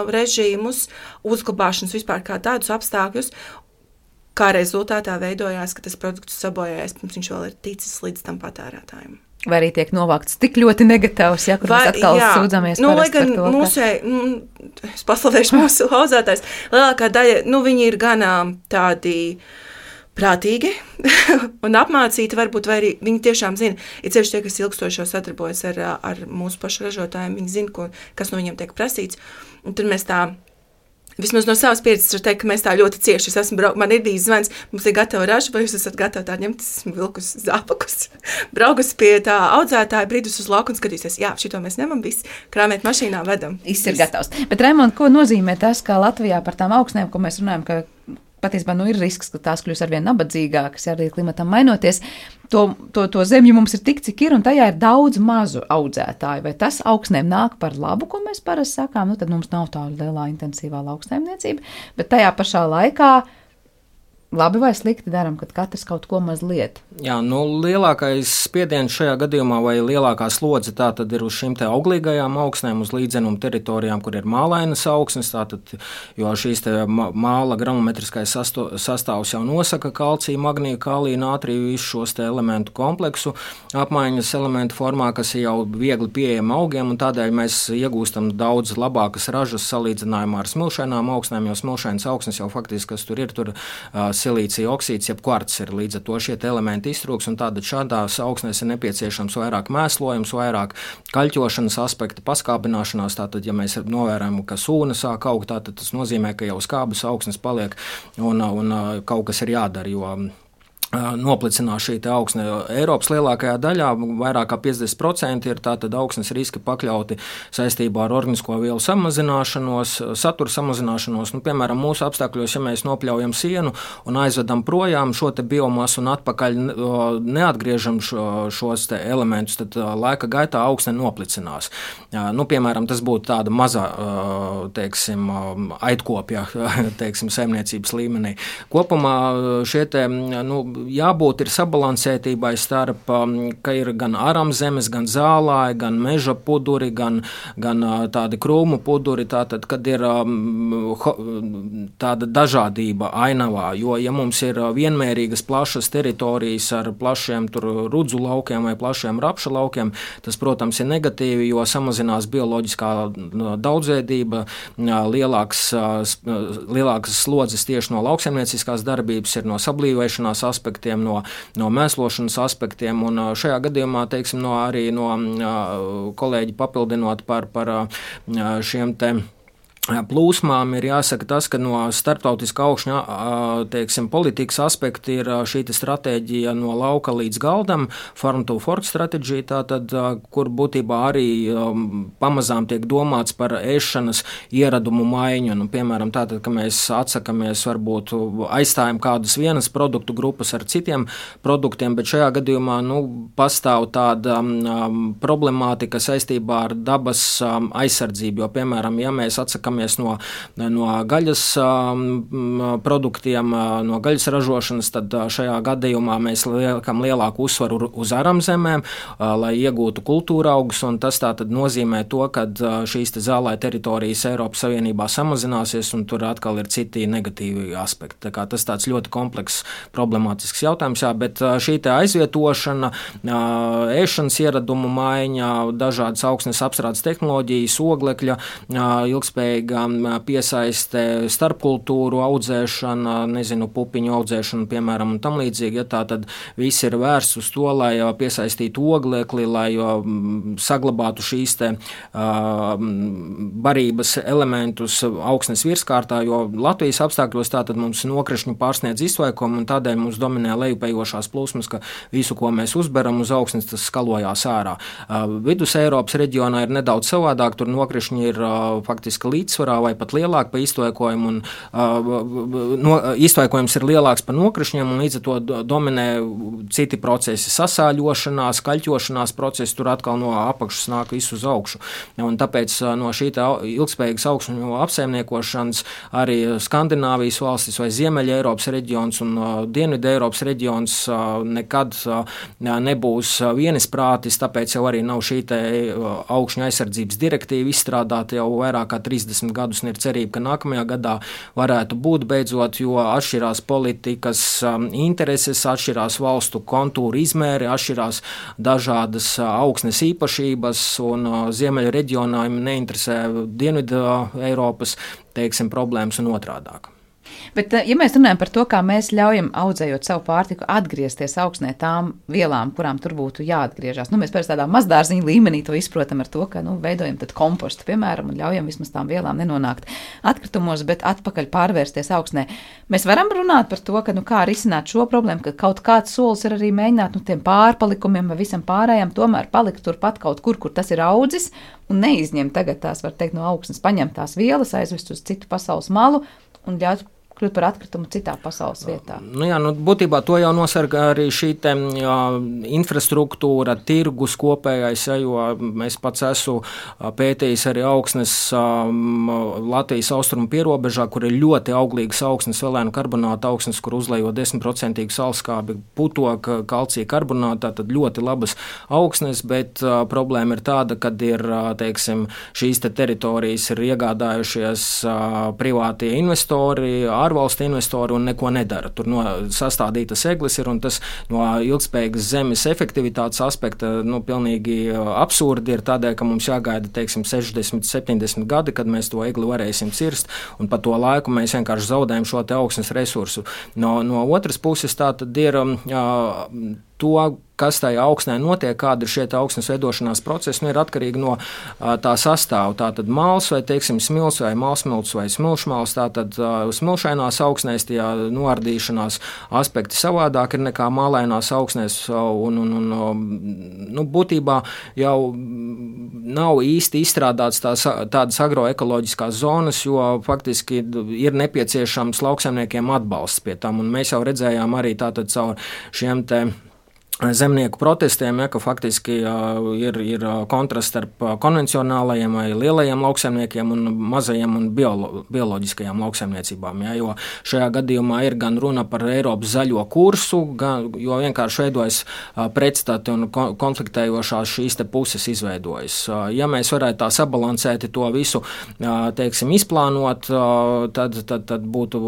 režīmus, uzglabāšanas vispār kā tādus apstākļus, kā rezultātā veidojās, ka tas produkts sabojājas, pirms viņš vēl ir ticis līdz tam patērētājiem. Vai arī tiek novākts tik ļoti negatīvs, ja kur mēs atkal sūdzamies lai gan es paslavēšu mūsu audzētājs, lielākā daļa, viņi ir gan tādi prātīgi un apmācīti varbūt, vai arī viņi tiešām zina, ir ceļš tie, kas ilgstoši sadarbojas ar mūsu pašu ražotājiem, viņi zina, kas no viņiem tiek prasīts, un tad mēs vismaz no savas pieredzes var teikt, ka mēs tā ļoti cieši, man ir bijis zvans, mums ir gatava raža, vai jūs esat gatavi tā ņemt, esmu vilkus zābakus, braukus pie tā audzētāja, brīdus uz lauku un skatīsies, jā, šito mēs ņemam, viss, krāmēt mašīnā, vedam. Viss ir gatavs. Bet, Raimond, ko nozīmē tas, ka Latvijā par tām augsnēm, ko mēs runājam, ka patiesībā ir risks, ka tās kļūs arvien nabadzīgākas, arī klimatam mainoties. To zemju mums ir tik, cik ir, un tajā ir daudz mazu audzētāju. Vai tas augsnēm nāk par labu, ko mēs parasti sakām? Tad mums nav tā lielā intensīvā lauksaimniecība, bet tajā pašā laikā labi vai slikti daram, kad katrs kaut ko mazliet? Jā, lielākais spiediens šajā gadījumā vai lielākā slodze tā tad ir uz šīm te auglīgajām augsnēm, uz līdzenumu teritorijām, kur ir mālainas augsnes, tātad, jo šīs te māla gramometriskais sastāvs jau nosaka kalciju, magniju, kāliju, nātriju, visu šos te elementu kompleksu apmaiņas elementu formā, kas ir jau viegli pieejami augiem, un tādēļ mēs iegūstam daudz labākas ražas salīdzinājumā ar smilšainām augsnēm, jo smilšainas augsnes jau faktiski, kas tur ir, silīcija oksīds, jeb kvarts ir līdz ar to šie elementi iztrūks, un tāda šādās augsnēs ir nepieciešams vairāk mēslojums, vairāk kaļķošanas aspekta, paskābināšanās, tātad, ja mēs novērojam, ka sūna sāk augt, tātad tas nozīmē, ka jau skābas augsnes paliek, un kaut kas ir jādara, jo noplicinās šī augsne. Eiropas lielākajā daļā, vairāk kā 50% ir tātad augsnes riski pakļauti saistībā ar organisko vielu samazināšanos, satura samazināšanos. Piemēram, mūsu apstākļos, ja mēs nopļaujam sienu un aizvedam projām šo te biomasu un atpakaļ neatgriežam šos te elementus, tad laika gaitā augsne noplicinās. Piemēram, tas būtu tāda mazā, aitkopja, saimniecības līmenī. Kopumā šie te, jābūt ir sabalansētībai starp, ka ir gan aramzemes, gan zālāji, gan meža puduri, gan tādi krūmu puduri, tātad, kad ir tāda dažādība ainavā, jo, ja mums ir vienmērīgas plašas teritorijas ar plašiem rudzu laukiem vai plašiem rapša laukiem, tas, protams, ir negatīvi, jo samazinās bioloģiskā daudzveidība, lielākas slodzes tieši no lauksaimnieciskās darbības ir no sablīvēšanās aspektiem, no mēslošanas aspektiem, un šajā gadījumā, arī no kolēģi papildinot par šiem te plūsmām ir jāsaka tas, ka no starptautiskā augšņa, teiksim, politikas aspekta ir šī stratēģija no lauka līdz galdam, farm to fork stratēģija, tātad, kur būtībā arī pamazām tiek domāts par ēšanas ieradumu maiņu. Nu, piemēram, tātad, ka mēs atsakamies, varbūt aizstājam kādas vienas produktu grupas ar citiem produktiem, bet šajā gadījumā, pastāv tāda problemātika saistībā ar dabas aizsardzību, jo, piemēram, ja mēs atsakamies no gaļas produktiem, no gaļas ražošanas, tad šajā gadījumā mēs liekam lielāku uzsvaru uz aramzemēm, lai iegūtu kultūra augus, un tas tātad nozīmē to, ka šīs zālē teritorijas Eiropas Savienībā samazināsies, un tur atkal ir citi negatīvi aspekti. Tā kā tas tāds ļoti komplekss, problemātisks jautājums, bet šī aizvietošana, ēšanas ieradumu maiņa, dažādas augsnes apstrādes tehnoloģijas, oglekļa, ilgspējīga piesaiste, starpkultūru audzēšana, pupiņu audzēšana, piemēram, un tam līdzīgi, ja tā tad viss ir vērsts uz to, lai piesaistītu oglekli, lai saglabātu šīs barības elementus augsnes virskārtā, jo Latvijas apstākļos tātad mums nokrišņu pārsniedz izsvaikumu, un tādēļ mums dominē lejupējošās plūsmas, ka visu, ko mēs uzberam uz augsnes, tas skalojās ārā. Vidus Eiropas reģionā ir nedaudz savādāk, tur nokrišņi ir faktiski līdzsvarā vai pat lielāk pa iztvaikojumu, un iztvaikojums ir lielāks pa nokrišņiem, un līdz ar to dominē citi procesi, sasāļošanās, kaļķošanās procesi, tur atkal no apakšas nāk visu uz augšu. Un tāpēc no šī ilgspējīgas augsņu apsaimniekošanas arī Skandināvijas valstis vai Ziemeļa Eiropas reģions un Dienvidu Eiropas reģions nekad nebūs vienisprātis, tāpēc jau arī nav šī augšņu aizsardzības direktīva izstrādāta jau vairāk kā 30 gadus, un ir cerība, ka nākamajā gadā varētu būt beidzot, jo atšķirās politikas intereses, atšķirās valstu kontūra izmēri, atšķirās dažādas augsnes īpašības, un Ziemeļa reģionā neinteresē Dienvidu Eiropas, problēmas un otrādāk. Bet, ja mēs runājam par to, kā mēs ļaujam audzējot savu pārtiku atgriezties augsnē tām vielām, kurām tur būtu jāatgriežas, mēs pēc tādā mazdārziņa līmenī to izprotam ar to, ka veidojam tad kompostu, piemēram, un ļaujam vismaz tām vielām nenonākt atkritumos, bet atpakaļ pārvērsties augsnē. Mēs varam runāt par to, ka kā risināt šo problēmu, ka kaut kāds solis ir arī mēģināt tiem pārpalikumiem vai visam pārējām tomēr palikt turpat kaut kur tas ir audzis, un neizņemt tagad tās, var teikt, no augsnes, paņemt tās vielas, aizvest uz citu pasaules malu un ļaut kļūt par atkritumu citā pasaules vietā. Būtībā to jau nosargā arī šī infrastruktūra, tirgus kopējais, jo mēs pats esmu pētījis arī augsnes Latvijas austrumu pierobežā, kur ir ļoti auglīgas augsnes, velēnu karbonāta augsnes, kur uzlejo 10% salskābi, putoka, kalcija karbonāta, tad ļoti labas augsnes, bet problēma ir tāda, kad ir, šīs teritorijas ir iegādājušies privātie investori, ārvalstu investori un neko nedara. Tur sastādītas eglis ir, un tas no ilgspējīgas zemes efektivitātes aspekta pilnīgi absurdi ir tādēļ, ka mums jāgaida, 60, 70 gadi, kad mēs to egli varēsim cirst, un pa to laiku mēs vienkārši zaudējam šo augsnes resursu. No otras puses tā tad ir to, kas tajā augsnē notiek, kāda ir šie augsnes veidošanās procesi, ir atkarīgi no tā sastāva. Tātad māls vai, smilts vai mālsmilts vai smilšmāls, tātad smilšainās augsnēs tie noardīšanās aspekti savādāk ir nekā mālainās augsnēs, un būtībā jau nav īsti izstrādāts tādas agroekoloģiskās zonas, jo faktiski ir nepieciešams lauksaimniekiem atbalsts pie tam, un mēs jau redzējām arī tātad caur šiem zemnieku protestiem, ka faktiski ir kontrasts starp konvencionālajiem vai lielajiem lauksaimniekiem un mazajiem un bioloģiskajām lauksaimniecībām. Jo šajā gadījumā ir gan runa par Eiropas zaļo kursu, jo vienkārši veidojas pretstati un konfliktējošās šīs puses izveidojas. Ja mēs varētu tā sabalansēti to visu, izplānot, tad būtu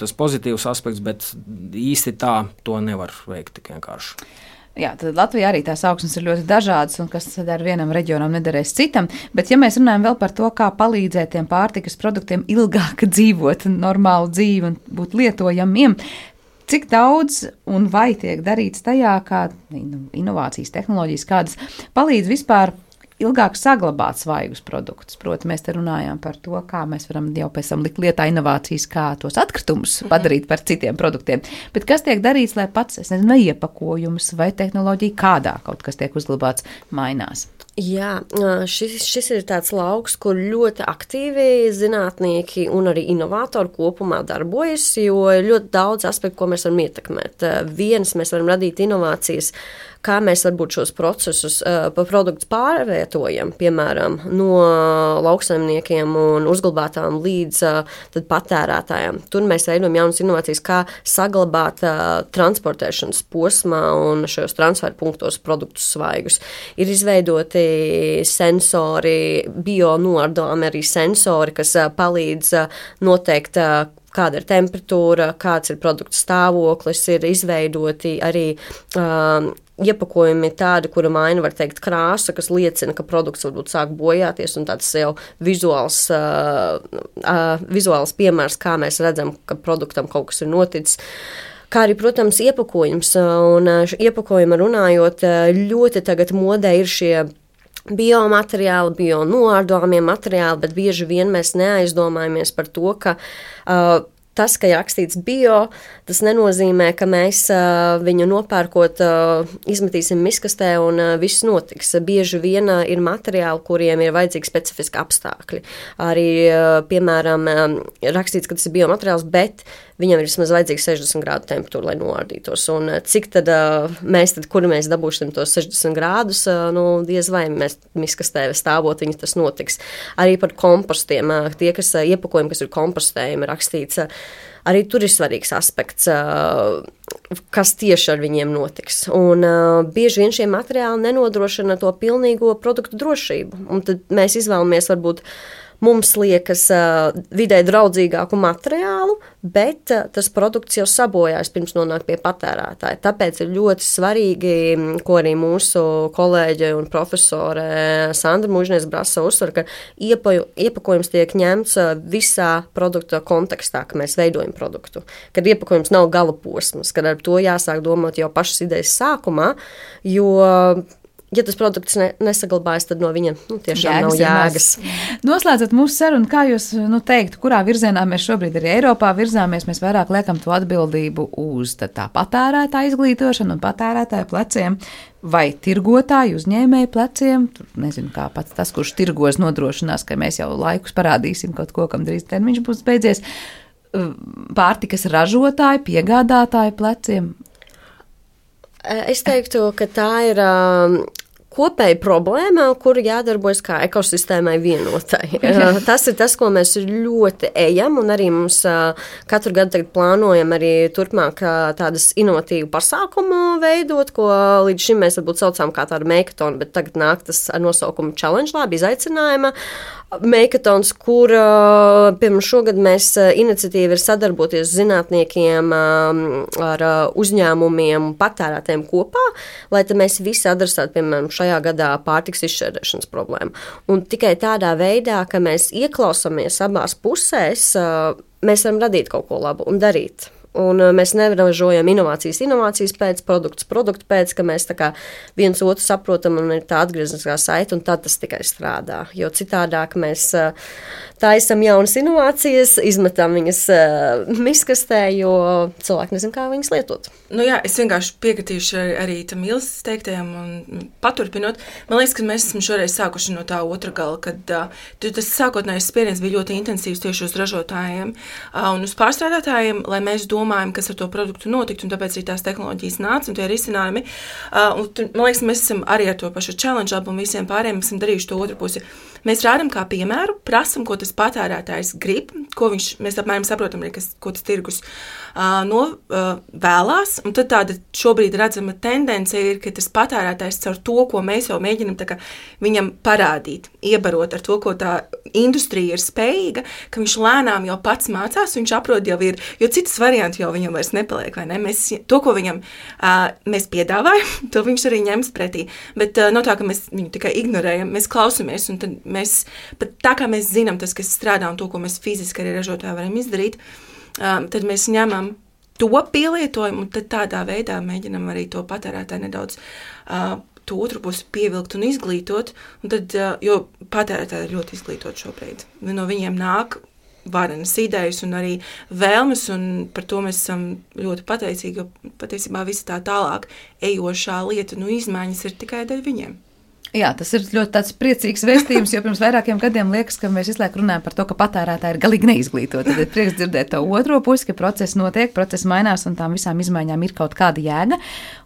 tas pozitīvs aspekts, bet īsti tā to nevar veikt tik vienkārši. Jā, tad Latvijā arī tās augsnes ir ļoti dažādas, un kas ar vienam reģionam nederēs citam, bet ja mēs runājam vēl par to, kā palīdzēt tiem pārtikas produktiem ilgāk dzīvot normālu dzīvi un būt lietojamiem, cik daudz un vai tiek darīts tajā, kā inovācijas, tehnoloģijas, kādas palīdz vispār ilgāk saglabāt svaigus produktus. Proti, mēs te runājām par to, kā mēs varam jau pēc tam likt lietā inovācijas, kā tos atkritumus padarīt par citiem produktiem. Bet kas tiek darīts, lai pats, es nezinu, vai iepakojums vai tehnoloģija kādā kaut kas tiek uzglabāts mainās? Jā, šis ir tāds lauks, kur ļoti aktīvi zinātnieki un arī inovatori kopumā darbojas, jo ir ļoti daudz aspektu, ko mēs varam ietekmēt. Viens, mēs varam radīt inovācijas, kā mēs varbūt šos procesus pa produktus pārvietojam, piemēram, no lauksaimniekiem un uzglabātām līdz tad patērētājiem. Tur mēs veidojam jaunas inovācijas, kā saglabāt transportēšanas posmā un šajos transferu punktos produktus svaigus. Ir izveidoti sensori, bionoardāmi arī sensori, kas palīdz noteikt, kāda ir temperatūra, kāds ir produktu stāvoklis, ir izveidoti arī iepakojumi tādi, kura maina, var teikt, krāsa, kas liecina, ka produkts varbūt sāk bojāties, un tāds jau vizuāls piemērs, kā mēs redzam, ka produktam kaut kas ir noticis. Kā arī, protams, iepakojums, un iepakojuma runājot, ļoti tagad modē ir šie biomateriāli, bionoardāmie materiāli, bet bieži vien mēs neaizdomājamies par to, ka tas, ka ir rakstīts bio, tas nenozīmē, ka mēs viņu nopērkot izmetīsim miskastē un viss notiks. Bieži vien ir materiāli, kuriem ir vajadzīgi specifiski apstākļi. Arī, piemēram, rakstīts, ka tas ir biomateriāls, bet viņam ir vismaz vajadzīga 60 grādu temperatūra, lai noārdītos. Un cik tad kur mēs dabūšam tos 60 grādus, diez vai mēs miskastē stāvot, viņi tas notiks. Arī par kompostiem, tie, kas iepakojumi, kas ir kompostējumi, rakstīts, arī tur ir svarīgs aspekts, kas tieši ar viņiem notiks. Un bieži vien šie materiāli nenodrošina to pilnīgo produktu drošību. Un tad mēs izvēlamies varbūt mums liekas vidē draudzīgāku materiālu, bet tas produkts jau sabojājas pirms nonāk pie patērētāja. Tāpēc ir ļoti svarīgi, ko arī mūsu kolēģe un profesore Sandra Mužnieks-Brasa uzsver, ka iepakojums tiek ņemts visā produkta kontekstā, ka mēs veidojam produktu. Kad iepakojums nav gala posms, kad ar to jāsāk domāt jau pašas idejas sākumā, jo ja tas produkts nesaglabājas, tad no viņa tiešām nav jēgas. Noslēdzot mūsu sarunu, kā jūs teiktu, kurā virzienā mēs šobrīd arī Eiropā virzāmies, mēs vairāk liekam to atbildību uz tā patērētāja izglītošanu un patērētāja pleciem vai tirgotāju uzņēmēju pleciem. Tur nezinu, kā pats tas, kurš tirgos nodrošinās, ka mēs jau laikus parādīsim kaut ko, kam drīz termiņš būs beidzies. Pārtikas ražotāju, piegādātāju pleciem. Es teiktu, ka tā ir kopēja problēma, kuru jādarbojas kā ekosistēmai vienotai. Tas ir tas, ko mēs ļoti ejam, un arī mums katru gadu tagad plānojam arī turpmāk tādas inovatīvu pasākumu veidot, ko līdz šim mēs varbūt saucām kā tādu meikatonu, bet tagad nāk tas ar nosaukumu Challenge Lab, izaicinājuma meikatons, kur, piemēram, šogad mēs iniciatīva ir sadarboties zinātniekiem ar uzņēmumiem un patērētājiem kopā, lai tad mēs visi adresētu, piemēram, šajā gadā pārtiks izšķērdēšanas problēmu. Un tikai tādā veidā, ka mēs ieklausamies abās pusēs, mēs varam radīt kaut ko labu un darīt. Un mēs nevražojam inovācijas pēc, produktu pēc, ka mēs tā kā viens otru saprotam un ir tā atgriezniskā saite, un tad tas tikai strādā. Jo citādāk mēs taisam jaunas inovācijas, izmetam viņas miskastē, jo cilvēki nezin, kā viņas lietot. Jā, es vienkārši piekritīšu arī tam Ilses teiktajam un paturpinot. Man liekas, ka mēs esam šoreiz sākuši no tā otra gala, kad tas sākotnējais spiediens bija ļoti intensīvs tieši uz ražotājiem un uz pārstrādātājiem, lai mēs domājam, kas ar to produktu notikt, un tāpēc arī tās tehnoloģijas nāca un tie risinājumi. Man liekas, mēs esam arī ar to pašu Challenge Lab un visiem pārējiem esam darījuši to otru pusi. Mēs rādam kā piemēru, prasam, ko tas patērētājs grib, mēs apmēram saprotam, ko tas tirgus vēlās, un tad tāda šobrīd redzama tendence ir, ka tas patērētājs caur to, ko mēs jau mēģinam viņam parādīt, iebarot ar to, ko tā industrija ir spējīga, ka viņš lēnām jau pats mācās, viņš aprod jau ir, jo citas varianti jau viņam vairs nepaliek, vai ne? To, ko viņam mēs piedāvājam, to viņš arī ņems pretī, bet no tā, ka mēs viņu tikai ignorējam, mēs klausamies, un tad mēs, pat tā kā mēs zinām tas, kas strādā un to, ko mēs fiziski arī ražotāji varam izdarīt, tad mēs ņemam to pielietojam, un tad tādā veidā mēģinam arī to patērētāju nedaudz to otru pusi pievilkt un izglītot, un tad, jo patērētāji ir ļoti izglītot šobrīd. No viņiem nāk varenas idejas un arī vēlmes, un par to mēs esam ļoti pateicīgi, jo patiesībā visa tā tālāk ejošā lieta, izmaiņas ir tikai dēļ viņiem. Jā, tas ir ļoti tāds priecīgs vēstījums, jo pirms vairākiem gadiem liekas, ka mēs visu laiku runājam par to, ka patērētāji ir galīgi neizglītoti. Tad ir prieks dzirdēt to otro pusi, ka process notiek, process mainās un tām visām izmaiņām ir kaut kāda jēga.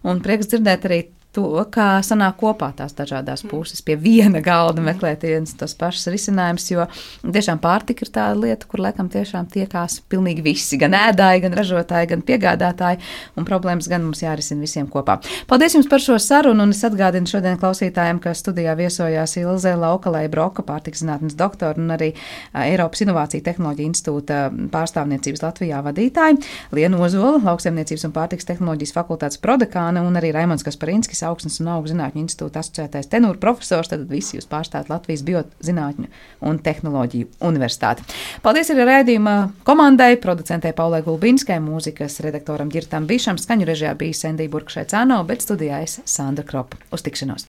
Un prieks dzirdēt arī to, kā sanāk kopā tās dažādās puses pie viena galda meklēt viens tos pašus risinājumus, jo tiešām pārtika ir tāda lieta, kur laikam tiešām tiekās pilnīgi visi, gan ēdāji, gan ražotāji, gan piegādātāji, un problēmas gan mums jārisina visiem kopā. Paldies jums par šo sarunu, un es atgādinu šodien klausītājiem, ka studijā viesojās Ilze Laukalei Broka, pārtikas zinātnes doktora, un arī Eiropas Inovāciju tehnoloģiju institūta pārstāvniecības Latvijā vadītāji, Liena Ozola, lauksaimniecības un pārtikas tehnoloģijas fakultātes prodekāne, un arī Raimonds Kasparinskis, Augsnes un augu zinātņu institūta asociētais tenūra profesors, tad visi jūs pārstāvat Latvijas biozinātņu un tehnoloģiju universitāti. Paldies arī raidījuma komandai, producentei Paulai Gulbinskai, mūzikas redaktoram Ģirtam Bišam, skaņu režijā bija Sendija Burkšai Cāno, bet studijā es Sandra Kropa. Uz tikšanos!